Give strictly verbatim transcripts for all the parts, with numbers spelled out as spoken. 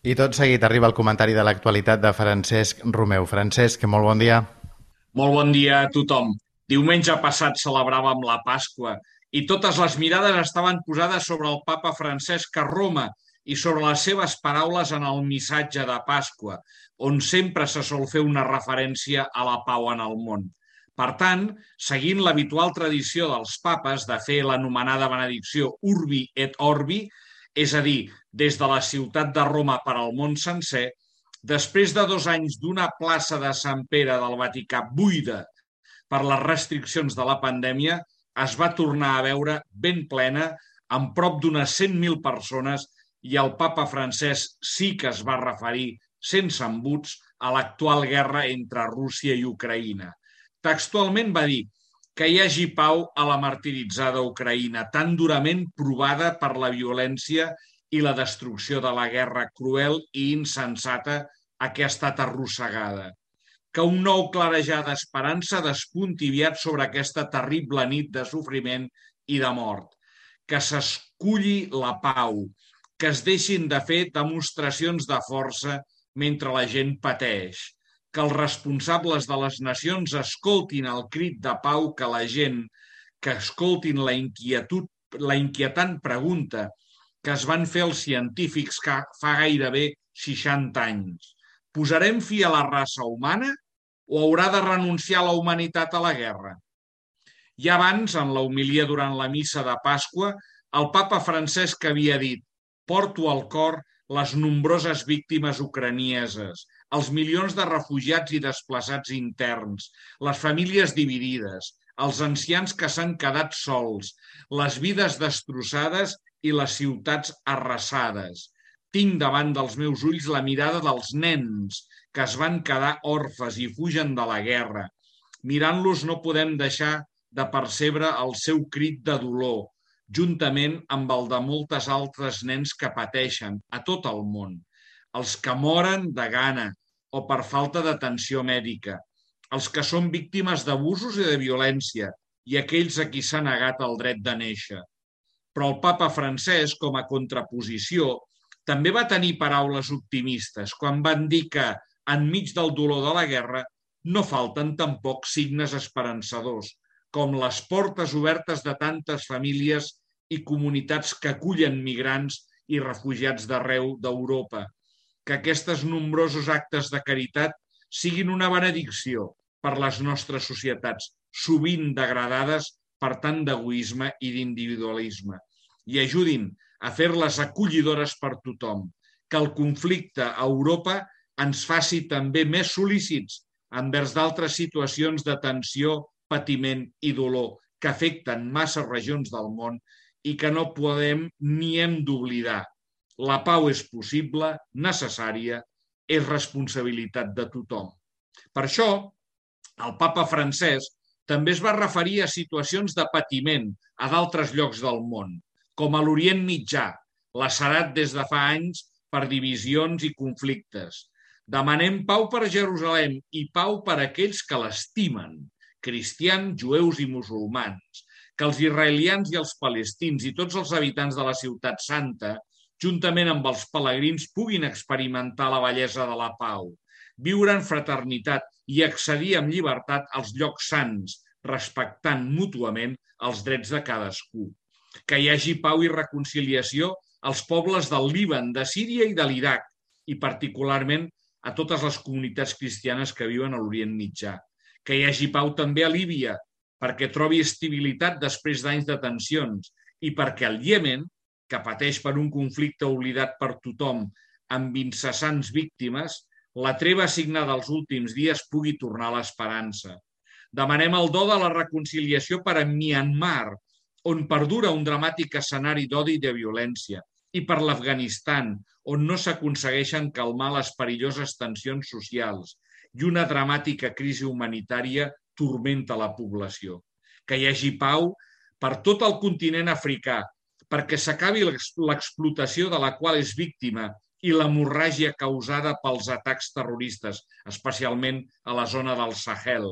I tot seguit arriba el comentari de l'actualitat de Francesc Romeu. Francesc, molt bon dia. Molt bon dia a tothom. Diumenge passat celebràvem la Pasqua i totes les mirades estaven posades sobre el papa Francesc a Roma i sobre les seves paraules en el missatge de Pasqua, on sempre se sol fer una referència a la pau en el món. Per tant, seguint l'habitual tradició dels papes de fer l'anomenada benedicció Urbi et Orbi, és a dir, des de la ciutat de Roma per al món sencer, després de dos anys d'una plaça de Sant Pere del Vaticà buida per les restriccions de la pandèmia, es va tornar a veure ben plena, amb prop d'unes cent mil persones, i el papa Francesc sí que es va referir, sense embuts, a l'actual guerra entre Rússia i Ucraïna. Textualment va dir que hi hagi pau a la martiritzada Ucraïna, tan durament provada per la violència i la destrucció de la guerra cruel i insensata a què ha estat arrossegada. Que un nou clarejar d'esperança despunti aviat sobre aquesta terrible nit de sofriment i de mort. Que s'esculli la pau, que es deixin de fer demostracions de força mentre la gent pateix, que els responsables de les nacions escoltin el crit de pau que la gent, que escoltin la inquietud, la inquietant pregunta que es van fer els científics que fa gairebé seixanta anys. Posarem fi a la raça humana o haurà de renunciar la humanitat a la guerra? I abans, en la homilia durant la missa de Pasqua, el papa Francesc havia dit: porto al cor les nombroses víctimes ucranieses, els milions de refugiats i desplaçats interns, les famílies dividides, els ancians que s'han quedat sols, les vides destrossades i les ciutats arrasades. Tinc davant dels meus ulls la mirada dels nens que es van quedar orfes i fugen de la guerra. Mirant-los no podem deixar de percebre el seu crit de dolor, juntament amb el de moltes altres nens que pateixen a tot el món, els que moren de gana o per falta d'atenció mèdica, els que són víctimes d'abusos i de violència i aquells a qui s'ha negat el dret de néixer. Però el papa Francesc, com a contraposició, també va tenir paraules optimistes quan van dir que, enmig del dolor de la guerra, no falten tampoc signes esperançadors, com les portes obertes de tantes famílies i comunitats que acullen migrants i refugiats d'arreu d'Europa. Que aquests nombrosos actes de caritat siguin una benedicció per les nostres societats, sovint degradades per tant d'egoisme i d'individualisme, i ajudin a fer-les acollidores per tothom. Que el conflicte a Europa ens faci també més sol·lícits envers d'altres situacions de tensió, patiment i dolor que afecten massa regions del món i que no podem ni hem d'oblidar. La pau és possible, necessària, és responsabilitat de tothom. Per això, el papa Francesc també es va referir a situacions de patiment a d'altres llocs del món, com a l'Orient Mitjà, lacerat des de fa anys per divisions i conflictes. Demanem pau per Jerusalem i pau per aquells que l'estimen, cristians, jueus i musulmans, que els israelians i els palestins i tots els habitants de la ciutat santa, juntament amb els pelegrins, puguin experimentar la bellesa de la pau, viure en fraternitat i accedir amb llibertat als llocs sants, respectant mútuament els drets de cadascú. Que hi hagi pau i reconciliació als pobles del Líban, de Síria i de l'Iraq, i particularment a totes les comunitats cristianes que viuen a l'Orient Mitjà. Que hi hagi pau també a Líbia, perquè trobi estabilitat després d'anys de tensions, i perquè el Iemen, que pateix per un conflicte oblidat per tothom amb incessants víctimes, la treva signada els últims dies pugui tornar a l'esperança. Demanem el do de la reconciliació per a Myanmar, on perdura un dramàtic escenari d'odi i de violència, i per l'Afganistan, on no s'aconsegueixen calmar les perilloses tensions socials i una dramàtica crisi humanitària turmenta la població. Que hi hagi pau per tot el continent africà, perquè s'acabi l'explotació de la qual és víctima i l'hemorràgia causada pels atacs terroristes, especialment a la zona del Sahel,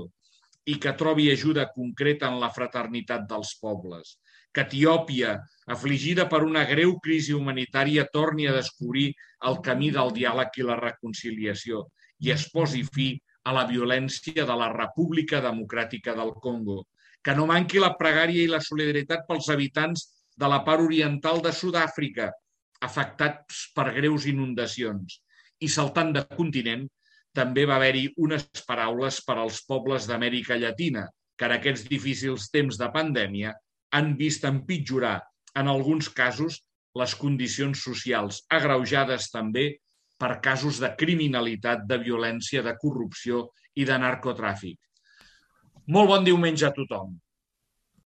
i que trobi ajuda concreta en la fraternitat dels pobles. que Etiòpia, afligida per una greu crisi humanitària, torni a descobrir el camí del diàleg i la reconciliació i es posi fi a la violència de la República Democràtica del Congo. Que no manqui la pregària i la solidaritat pels habitants de la part oriental de Sud-àfrica, afectats per greus inundacions. I saltant de continent, també va haver-hi unes paraules per als pobles d'Amèrica Llatina, que en aquests difícils temps de pandèmia han vist empitjorar, en alguns casos, les condicions socials, agreujades també per casos de criminalitat, de violència, de corrupció i de narcotràfic. Molt bon diumenge a tothom.